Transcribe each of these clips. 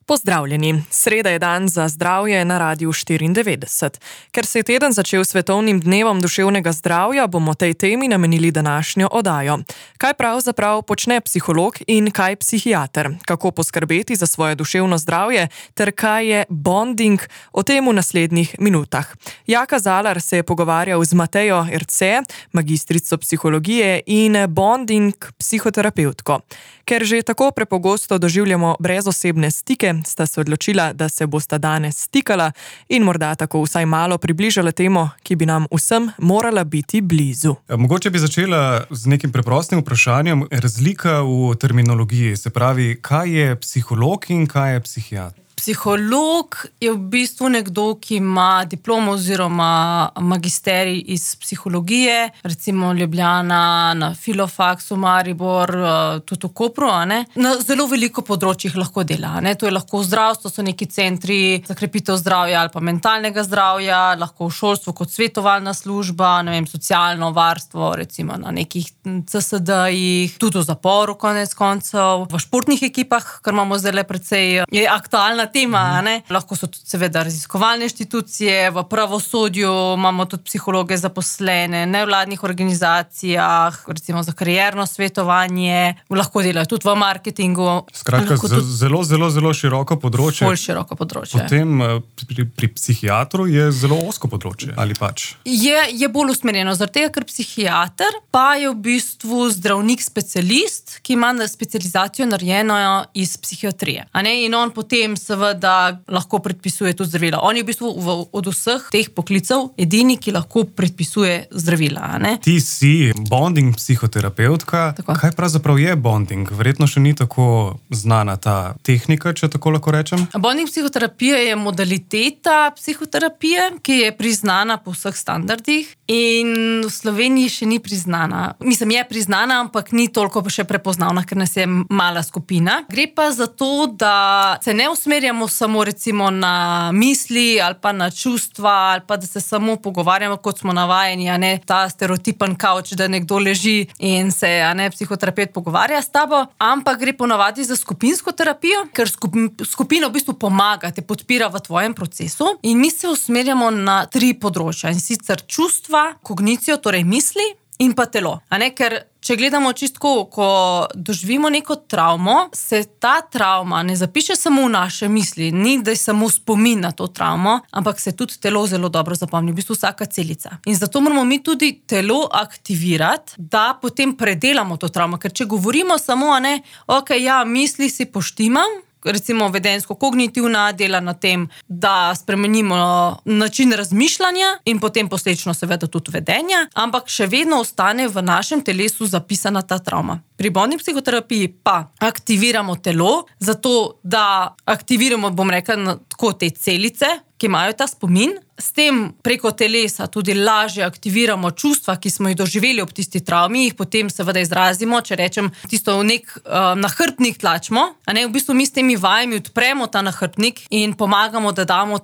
Pozdravljeni. Sreda je dan za zdravje na Radiu 94. Ker se je teden začel svetovnim dnevom duševnega zdravja, bomo tej temi namenili današnjo oddajo. Kaj pravzaprav počne psiholog in kaj psihiater? Kako poskrbeti za svoje duševno zdravje ter kaj je bonding? O tem v naslednjih minutah. Jaka Zalar se je pogovarjal z Matejo Erce, magistrico psihologije in bonding psihoterapevtko. Ker že tako prepogosto doživljamo brezosebne stike, sta se odločila, da se bosta danes stikala in morda tako vsaj malo približala temo, ki bi nam vsem morala biti blizu. Mogoče bi začela z nekim preprostim vprašanjem. Razlika v terminologiji, se pravi, kaj je psiholog in kaj je psihiater? Psiholog je v bistvu nekdo, ki ima diplomo oziroma magisterij iz psihologije, recimo Ljubljana, na Filofaksu, Maribor, tudi v Kopru, na zelo veliko področjih lahko dela. To je lahko zdravstvo, so neki centri za krepitev zdravja ali pa mentalnega zdravja, lahko v šolstvu kot svetovalna služba, socialno varstvo, recimo na nekih CSD-jih, tudi v zaporu konec koncev, v športnih ekipah, kar imamo zdaj precej, je aktualna tema, Lahko so tudi seveda raziskovalne inštitucije, v pravosodju imamo tudi psihologe zaposlene, nevladnih organizacijah, recimo za karierno svetovanje, lahko delajo tudi v marketingu. Skratka, zelo široko področje. Bolj široko področje. Potem pri psihiatru je zelo ozko področje, ali pač? Je bolj usmerjeno, zaradi tega, ker psihiater pa je v bistvu zdravnik specialist, ki ima specializacijo narejeno iz psihiatrije. In on potem seveda lahko predpisuje tudi zdravila. On je v bistvu od vseh teh poklicev edini, ki lahko predpisuje zdravila. Ti si bonding psihoterapevtka. Tako. Kaj pravzaprav je bonding? Verjetno še ni tako znana ta tehnika, če tako lahko rečem. Bonding psihoterapije je modaliteta psihoterapije, ki je priznana po vseh standardih in v Sloveniji še ni priznana. Mislim, je priznana, ampak ni toliko še prepoznavna, ker nas je mala skupina. Gre pa za to, da se ne usmerjamo samo recimo na misli ali pa na čustva ali pa da se samo pogovarjamo, kot smo navajeni, ta stereotipen kavč, da nekdo leži in se psihoterapeut pogovarja s tabo, ampak gre ponavadi za skupinsko terapijo, ker skupina v bistvu pomaga, te podpira v tvojem procesu in mi se usmerjamo na 3 področja, in sicer čustva, kognicijo, torej misli in pa telo. Ker če gledamo čistko, ko doživimo neko travmo, se ta travma ne zapiše samo v naše misli, ni da je samo spomin na to travmo, ampak se tudi telo zelo dobro zapomni, v bistvu vsaka celica. In zato moramo mi tudi telo aktivirati, da potem predelamo to travmo, ker če govorimo samo, misli si poštimam, recimo vedensko-kognitivna dela na tem, da spremenimo način razmišljanja in potem posledično seveda tudi vedenja, ampak še vedno ostane v našem telesu zapisana ta travma. Pri bonding psihoterapiji pa aktiviramo telo, zato da aktiviramo, tako te celice, ki imajo ta spomin. S tem preko telesa tudi lažje aktiviramo čustva, ki smo jih doživeli ob tisti travmi, jih potem seveda izrazimo, če rečem, tisto v nek nahrbtnik tlačimo, v bistvu mi s temi vajami odpremo ta nahrbtnik in pomagamo, da damo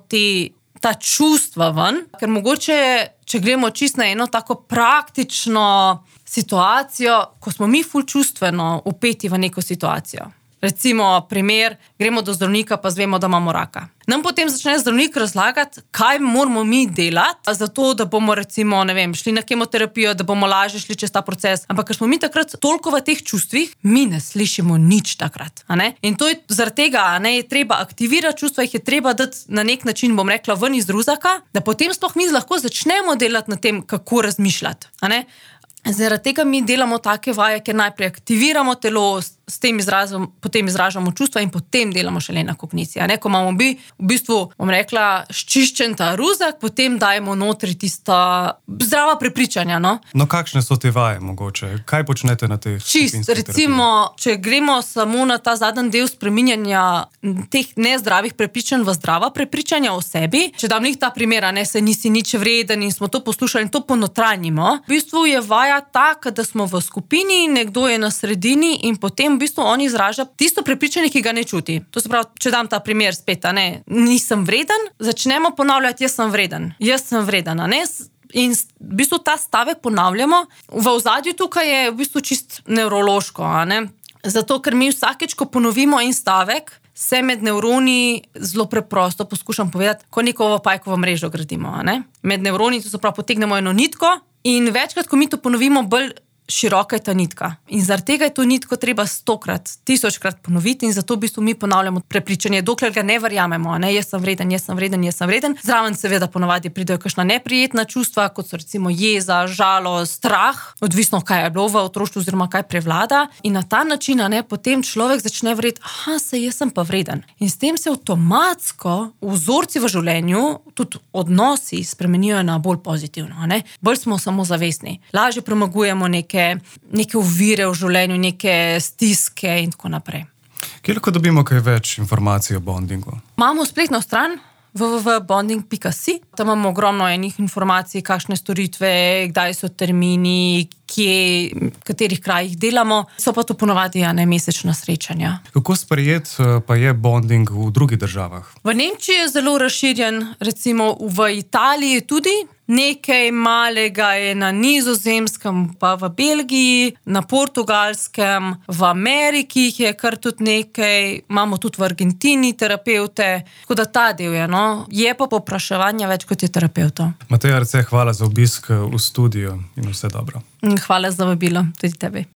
ta čustva ven, ker mogoče, če gremo čisto na eno tako praktično situacijo, ko smo mi ful čustveno vpeti v neko situacijo. Recimo, primer, gremo do zdravnika, pa zvemo, da imamo raka. Nam potem začne zdravnik razlagati, kaj moramo mi delati, zato da bomo recimo, šli na kemoterapijo, da bomo lažje šli čez ta proces. Ampak ker smo mi takrat toliko v teh čustvih, mi ne slišimo nič takrat. In to je zaradi tega, je treba aktivirati čustva, jih je treba dati na nek način, ven iz ruzaka, da potem sploh mi lahko začnemo delati na tem, kako razmišljati. Zaradi tega mi delamo take vaje, ker najprej aktiviramo telo, s tem potem izražamo čustva in potem delamo šele na kognicijo. Ko imamo v bistvu, ščiščen ta ruzak, potem dajemo notri tista zdrava prepričanja. No, kakšne so te vaje mogoče? Kaj počnete na teh skupinskih terapijah? Recimo, če gremo samo na ta zadnji del spreminjanja teh nezdravih prepričanj v zdrava prepričanja o sebi, če dam njih ta primer, se nisi nič vreden in smo to poslušali in to ponotranjimo, v bistvu je vaja taka, da smo v skupini, nekdo je na sredini in potem v bistvu on izraža tisto prepričanje, ki ga ne čuti. To se pravi, če dam ta primer spet, nisem vreden, začnemo ponavljati, jaz sem vreden. In v bistvu ta stavek ponavljamo. V ozadju tukaj je v bistvu čist nevrološko, Zato, ker mi vsakeč, ko ponovimo en stavek, se med nevroni zelo preprosto poskušam povedati, ko neko pajkovo mrežo gradimo. A ne? Med nevroni, to se pravi, potegnemo eno nitko in večkrat, ko mi to ponovimo, bolj široka je ta nitka. In zaradi tega je to nitko treba 100-krat, 1000-krat ponoviti in zato v bistvu mi ponavljamo prepričanje, dokler ga ne verjamemo, ne? Jaz sem vreden, jaz sem vreden, jaz sem vreden. Zraven seveda ponavadi pridejo kakšna neprijetna čustva, kot so recimo jeza, žalost, strah, odvisno kaj je bilo v otroštvu oziroma kaj prevlada. In na ta način, ne, potem človek začne verjeti, jaz sem pa vreden. In s tem se avtomatsko vzorci v življenju, tudi odnosi spremenijo na bolj pozitivno, ne? Bolj smo samozavestni, lažje premagujemo neke ovire v življenju, neke stiske in tako naprej. Kje lahko dobimo kaj več informacij o bondingu? Imamo spletno stran www.bonding.si. Tam imamo ogromno enih informacij, kakšne storitve, kdaj so termini, kje, v katerih krajih delamo. So pa to ponavadi mesečna srečanja. Kako sprejet pa je bonding v drugih državah? V Nemčiji je zelo razširjen, recimo v Italiji tudi. Nekaj malega je na Nizozemskem, pa v Belgiji, na Portugalskem, v Ameriki je kar tudi nekaj, imamo tudi v Argentini terapevte, tako da ta del je, no. Je pa povpraševanja več kot je terapeutov. Mateja Arce, hvala za obisk v studiu in vse dobro. Hvala za vabilo, tudi tebi.